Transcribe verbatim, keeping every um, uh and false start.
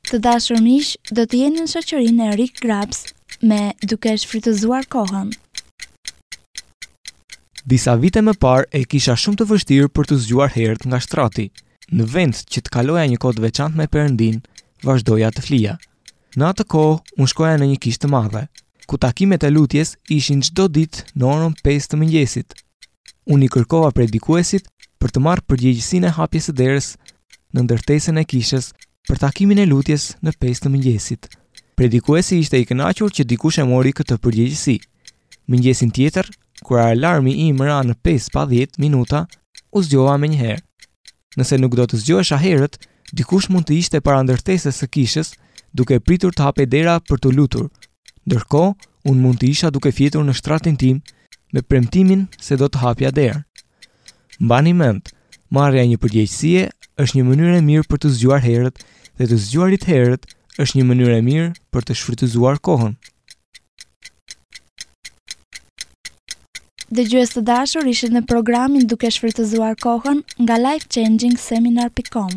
Të dashur miq, do të jeni në shoqërinë e Rick Grabs me Duke shfrytëzuar kohën. Disa vite më parë e kisha shumë të vështirë për t'u zgjuar herët nga shtrati. Në vend që të kaloja një kohë të veçantë me Perëndin, vazhdoja të flija. Në atë kohë, unë shkoja në një kishë të madhe, ku takimet e lutjes ishin çdo ditë në orën pesë të mëngjesit. Unë i kërkova predikuesit për të marrë përgjegjësinë e hapjes së derës në ndërtesën e kishës për takimin e lutjes në pesë të mëngjesit. Predikuesi ishte i kënaqur që dikush e mori këtë përgjegjësi. Mëngjesin tjetër, kur alarmi im ra në pesë pa dhjetë minuta, u zgjova menjëherë. Nëse nuk do të zgjohesha herët, dikush mund të ishte para ndërtesës së kishës, duke pritur të hapej dera për t'u lutur. Ndërkohë, unë mund të isha duke fjetur në shtratin tim me premtimin se do të hapja derën. Mbani mend, marrja e një përgjegjësie është një mënyrë e mirë për të zgjuar herët dhe të zgjuarit herët është një mënyrë e mirë për të shfrytëzuar kohën. Dëgjues të dashur, ishit në programin Duke shfrytëzuar kohën nga life changing seminar pikë com.